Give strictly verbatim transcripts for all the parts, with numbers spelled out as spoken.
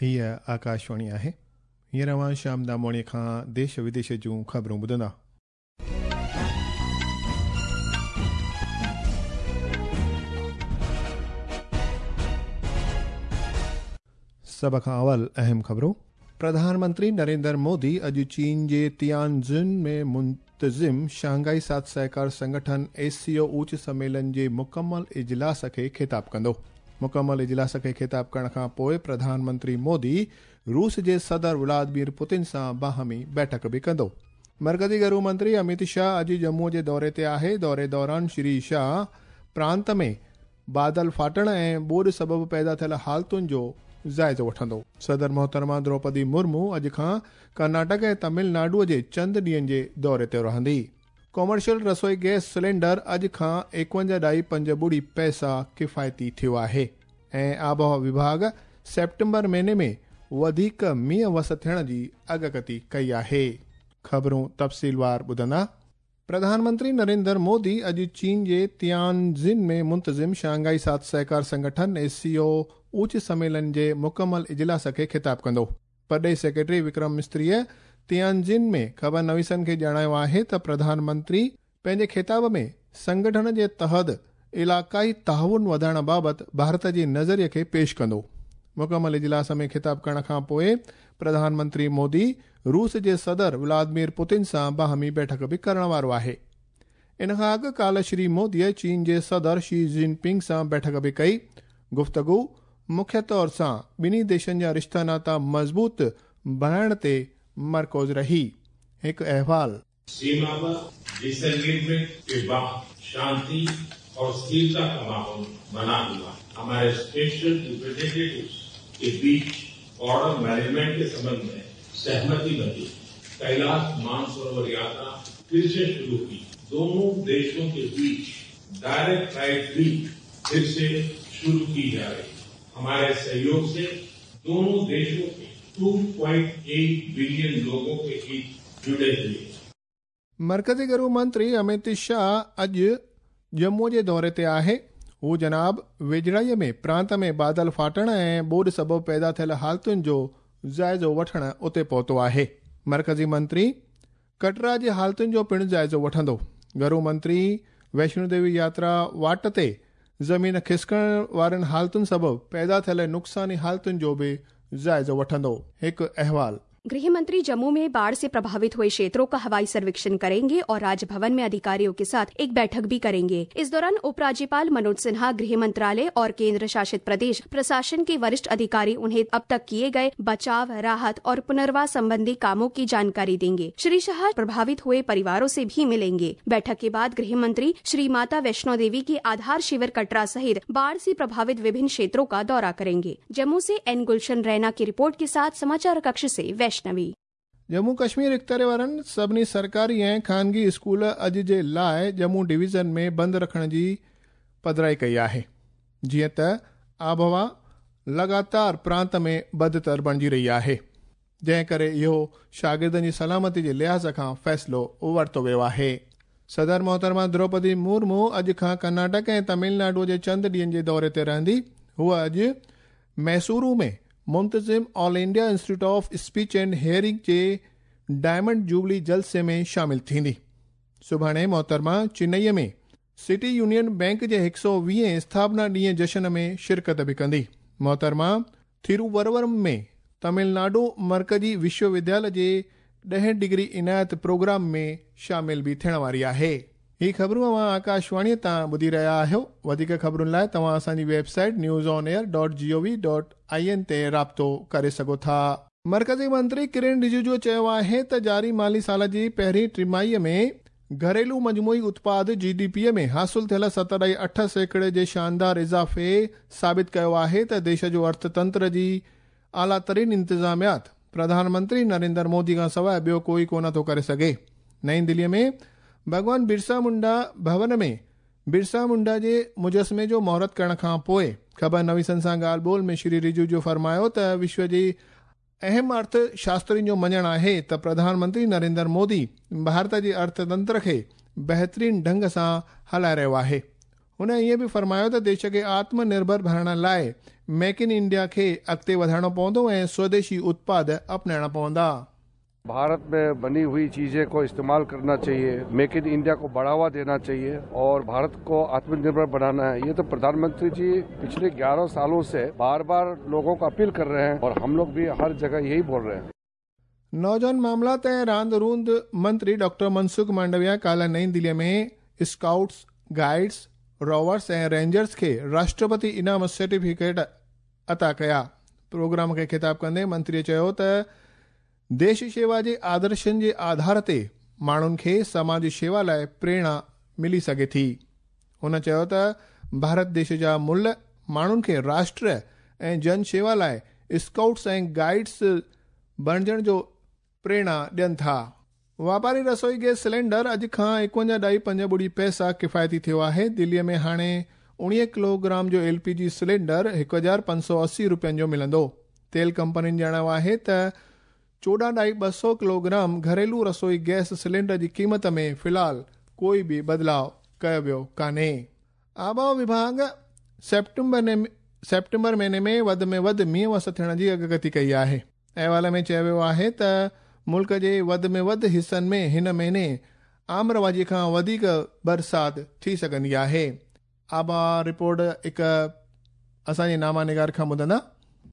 हीअ आकाशवाणी आहे। हींअर अव्हां श्याम दामोणी खां देश विदेश जूं ख़बरूं ॿुधंदा। सभ खां अवल अहम ख़बरूं। प्रधानमंत्री नरेंद्र मोदी अॼु चीन जे तियानजिन में मुंतज़िम शंघाई साथ सहकार संगठन एस सी ओ उच्च सम्मेलन जे मुकमल इजलास खे ख़िताब कंदो। मुकमल इजलास खे ख़िताब करण खां पोइ प्रधानमंत्री मोदी रूस जे सदर व्लादिमीर पुतिन सां बाहमी बैठक बि कंदो। मरकज़ी घरू मंत्री अमित शाह अॼु जम्मू जे दौरे ते आहे। दौरे दौरान श्री शाह प्रांत में बादल फाटण ऐं ॿोॾ सबबु पैदा थियल हालतुनि जो जाइज़ो वठंदो। सदर मोहतरमा द्रौपदी मुर्मू अॼु खां कर्नाटक ऐं तमिलनाडु जे चंद ॾींहनि जे दौरे ते रहंदी। कॉमर्शियल रसोई गैस सिलेंडर अॼु खां एकवंजाह ॾाई पंज ॿुड़ी पैसा किफ़ायती थियो आहे ऐं आबहावा विभाग सेप्टेम्बर महीने में वधीक मींहुं वस थियण जी अॻकथी कई आहे। ख़बरूं तफ़सीलवार ॿुधंदा। प्रधानमंत्री नरेंद्र मोदी अॼु चीन जे तियानजिन में मुंतज़िम शंघाई साथ सहकार संगठन एस सी ओ उच्च सम्मेलन जे मुकमल इजलास खे ख़िताब कंदो। परॾेही सेक्रेटरी विक्रम मिस्त्रीअ तियानजिन में ख़बर नवीसनि खे ॼाणायो आहे त प्रधानमंत्री पंहिंजे ख़िताब में संगठन जे तहत इलाक़ाई ताउन वधाइण बाबति भारत जे नज़रिए खे पेश कंदो। मुकमल इजलास में ख़िताब करण खां पोइ प्रधानमंत्री मोदी रूस जे सदर व्लादिमीर पुतिन सां बाहमी बैठक बि करण वारो आहे। इन खां अॻु काल्ह श्री मोदीअ चीन जे सदर शी जिनपिंग सां बैठक बि कई। गुफ़्तगू मुख्य तौर सां ॿिन्ही देशनि जा रिश्ता नाता मज़बूत बणाइण ते मरकूज़ रही। हिकु अहवाल। सीमा पर डिसएंगेजमेंट के बाद शांति और स्थिरता का माहौल बना हुआ। हमारे स्पेशल रिप्रेजेंटेटिव्स के बीच बॉर्डर मैनेजमेंट के संबंध में सहमति बनी। कैलाश मानसरोवर यात्रा फिर से शुरू की। दोनों देशों के बीच डायरेक्ट फ्लाइट भी फिर से शुरू की जा रही है। हमारे सहयोग से दोनों देशों के दो पॉइंट आठ बिलियन लोगों के हित जुड़े हुए। मरकज़ी घरू मंत्री अमित शाह अॼु जम्मू जे दौरे ते आहे। हू जनाब वेझड़ाईअ में प्रांत में बादल फाटण ऐं ॿोॾ सबबु पैदा थियल हालतुनि जो जाइज़ो वठण उते पहुतो आहे। मरकज़ी मंत्री कटरा जे हालतुनि जो पिणु जाइज़ो वठंदो। घरू मंत्री वैष्णो देवी यात्रा वाट ते ज़मीन खिसकण वारनि हालतुनि सबबु पैदा थियल नुक़सानी हालतुनि जो बि जाइज़ो वठंदो। हिकु अहवाल। गृह मंत्री जम्मू में बाढ़ से प्रभावित हुए क्षेत्रों का हवाई सर्वेक्षण करेंगे और राजभवन में अधिकारियों के साथ एक बैठक भी करेंगे। इस दौरान उपराज्यपाल मनोज सिन्हा, गृह मंत्रालय और केंद्र शासित प्रदेश प्रशासन के वरिष्ठ अधिकारी उन्हें अब तक किए गए बचाव, राहत और पुनर्वास संबंधी कामों की जानकारी देंगे। श्री शाह प्रभावित हुए परिवारों से भी मिलेंगे। बैठक के बाद गृह मंत्री श्री माता वैष्णो देवी के आधार शिविर कटरा सहित बाढ़ से प्रभावित विभिन्न क्षेत्रों का दौरा करेंगे। जम्मू से एन गुलशन रैना की रिपोर्ट के साथ समाचार कक्ष से वैष्णवी। जम्मू कश्मीर इख़्तियार वारनि सभिनी सरकारी ऐं ख़ानगी स्कूल अॼु जे लाइ जम्मू डिवीज़न में बंदि रखण जी पधराई कई आहे, जीअं त आबहवा लगातार प्रांत में बदतर बणिजी रही आहे, जंहिं करे इहो शागिर्दनि जी सलामती जे लिहाज़ खां फ़ैसिलो वरितो वियो आहे। सदर मोहतरमा द्रौपदी मुर्मू अॼु खां कर्नाटक ऐं तमिलनाडु जे चंद ॾींहनि जे दौरे ते रहंदी। हूअ अॼु मैसूरू में मुंतज़िम All India Institute of Speech and Hearing J diamond jubilee जलसे में शामिल थींदी। सुभाणे मोहतरमा चेन्नईअ में सिटी यूनियन बैंक जे हिकु सौ वीह स्थापना ॾींहं जश्न में शिरकत बि कंदी। मोहतरमा थिरुवरवरम में तमिलनाडु मरकज़ी विश्वविद्यालय जे ॾह डिग्री इनायत प्रोग्राम में शामिल बि थियण वारी आहे। ही ख़बरूं अव्हां आकाशवाणीअ तां ॿुधी रहिया आहियो। वधीक ख़बरुनि लाइ तव्हां असांजी website news on air dot G O V dot I N ते राब्तो करे सघो था। मरकज़ी मंत्री किरण रिजिजू चयो आहे त जारी माली साल जी पहिरीं टिमाहीअ में घरेलू मजमूई उत्पाद जी डी पी में हासिल थियल सत ॾाई अठ सैकड़े जे शानदार इज़ाफ़े साबित कयो आहे त देश जो अर्थतंत्र जी आला तरीन इंतिज़ामियात प्रधानमंत्री नरेंद्र मोदी खां सवाइ ॿियो कोई कोन थो करे सघे। नई दिल्लीअ में भॻवान बिरसा मुंडा भवन में बिरसा मुंडा जे मुजस्मे जो मुहूर्त करण खां पोइ ख़बर नवीसनि सां ॻाल्हि ॿोल में श्री रिजिजू फरमायो त विश्व जी अहम अर्थशास्त्रियुनि जो मञणु आहे त प्रधानमंत्री नरेंद्र मोदी भारत जे अर्थतंत्र खे बहितरीन ढंग सां हलाए रहियो आहे। हुन ईअं बि फरमायो त देश खे आत्मनिर्भर बणाइण लाइ मेक इन इंडिया खे अॻिते वधाइणो पवंदो ऐं स्वदेशी उत्पाद अपनाइणा पवंदा। भारत में बनी हुई चीजें को इस्तेमाल करना चाहिए, मेक इन इंडिया को बढ़ावा देना चाहिए और भारत को आत्मनिर्भर बनाना है। ये तो प्रधानमंत्री जी पिछले ग्यारह सालों से बार बार लोगों को अपील कर रहे हैं और हम लोग भी हर जगह यही बोल रहे हैं। नौजवान मामला ऐं रांदि रूंद मंत्री डॉक्टर मनसुख मांडविया काल्ह नई दिल्लीअ में स्काउट्स, गाइड्स, रोवर्स ऐं रेंजर्स खे राष्ट्रपति इनाम सर्टिफिकेट अता कया। प्रोग्राम खे ख़िताब कंदे मंत्रीअ चयो त देश शेवा जे आदर्शनि जे आधार ते माण्हुनि खे समाज शेवा लाइ प्रेरणा मिली सघे थी। हुन चयो त भारत देश जा मुल्य माण्हुनि खे राष्ट्र ऐं जन शेवा लाइ स्काउट्स ऐं गाइड्स बणिजण जो प्रेरणा ॾियनि था। वापारी रसोई गैस सिलेंडर अॼु खां एकवंजाह ॾाई पंज ॿुड़ी पैसा किफ़ायती थियो आहे। दिल्लीअ में हाणे उणिवीह किलोग्राम जो एल पी जी सिलेंडर हिकु हज़ार पंज सौ असी रुपयनि जो मिलंदो। तेल कंपनियुनि ॼाणायो आहे त चोॾहं ॾाई ॿ सौ किलोग्राम घरेलू रसोई गैस सिलेंडर जी क़ीमत में फ़िलहाल कोई बि बदिलाव कयो वियो कान्हे। आबहावा विभाग सेप्टेम्बर ने सेप्टेम्बर महीने में वधि में वधि मींहुं वस थियण जी अॻकथी कई आहे। अहवाल में चयो वियो आहे त मुल्क जे वधि में वधि हिसनि में हिन महीने आम रवाजी खां वधीक बरसाति थी सघंदी आहे। आबहावा रिपोर्ट हिकु असांजे नामा निगार खां ॿुधंदा।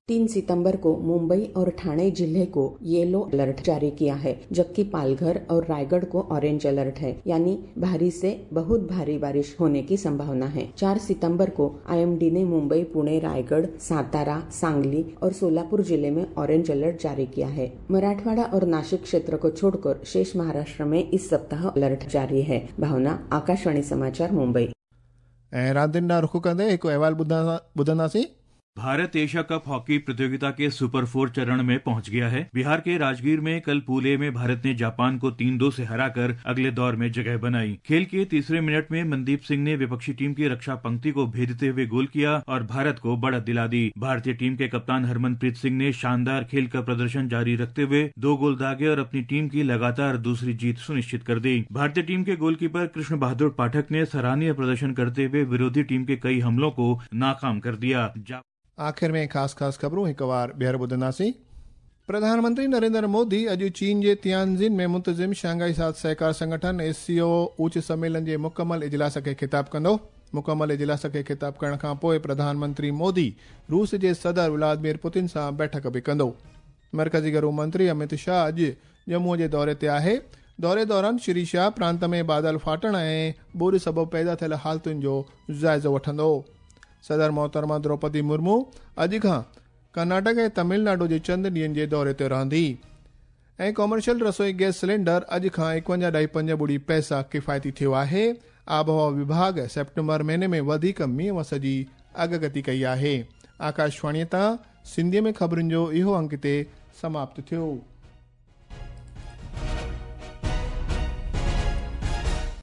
तीन सितंबर को मुंबई और ठाणे जिले को येलो अलर्ट जारी किया है, जबकि पालघर और रायगढ़ को ऑरेंज अलर्ट है, यानी भारी से बहुत भारी बारिश होने की संभावना है। चार सितंबर को आईएमडी ने मुंबई, पुणे, रायगढ़, सातारा, सांगली और सोलापुर जिले में ऑरेंज अलर्ट जारी किया है। मराठवाड़ा और नासिक क्षेत्र को छोड़कर शेष महाराष्ट्र में इस सप्ताह अलर्ट जारी है। भावना, आकाशवाणी समाचार, मुंबई। ऐं रांदियुनि ॾांहुं रुख कंदे हिकु अहवाल ॿुधंदासीं। भारत एशिया कप हॉकी प्रतियोगिता के सुपर फोर चरण में पहुंच गया है। बिहार के राजगीर में कल पूल ए में भारत ने जापान को तीन दो से हराकर अगले दौर में जगह बनाई। खेल के तीसरे मिनट में मनदीप सिंह ने विपक्षी टीम की रक्षा पंक्ति को भेदते हुए गोल किया और भारत को बढ़त दिला दी। भारतीय टीम के कप्तान हरमनप्रीत सिंह ने शानदार खेल का प्रदर्शन जारी रखते हुए दो गोल दागे और अपनी टीम की लगातार दूसरी जीत सुनिश्चित कर दी। भारतीय टीम के गोलकीपर कृष्ण बहादुर पाठक ने सराहनीय प्रदर्शन करते हुए विरोधी टीम के कई हमलों को नाकाम कर दिया। आख़िर में ख़ासि ख़ासि ख़बरूं हिकु वार ॿीहर ॿुधंदासीं। प्रधानमंत्री नरेंद्र मोदी अॼु चीन जे तियानजिन में मुंतज़िम शंघाई साथ सहकार संगठन एस सी ओ उच्च सम्मेलन जे मुकमल इजलास खे ख़िताब कंदो। मुकमल इजलास खे ख़िताब करण खां पोइ प्रधानमंत्री मोदी रूस जे सदर व्लादिमीर पुतिन सां बैठक बि कंदो। मर्कज़ी घरू मंत्री अमित शाह अॼु जम्मूअ जे दौरे ते आहे। दौरे दौरान श्री शाह प्रांत में बादल फाटण ऐं ॿोॾ सबबु पैदा थियल हालतुनि जो जाइज़ो वठंदो। सदर मोहतरमा द्रौपदी मुर्मू अॼु खां कर्नाटक ऐं तमिलनाडु जे चंद ॾींहनि जे दौरे ते रहंदी। ऐं कॉमर्शियल रसोई गैस सिलेंडर अॼु खां एकवंजाह ॾाई पंज ॿुड़ी पैसा किफ़ायती थियो आहे। आबहावा विभाग सेप्टेम्बर महीने में वधीक मींहुं वस जी अॻकथी कई आहे। आकाशवाणीअ तां सिंधीअ में ख़बरुनि जो इहो अंक हिते समाप्त थियो।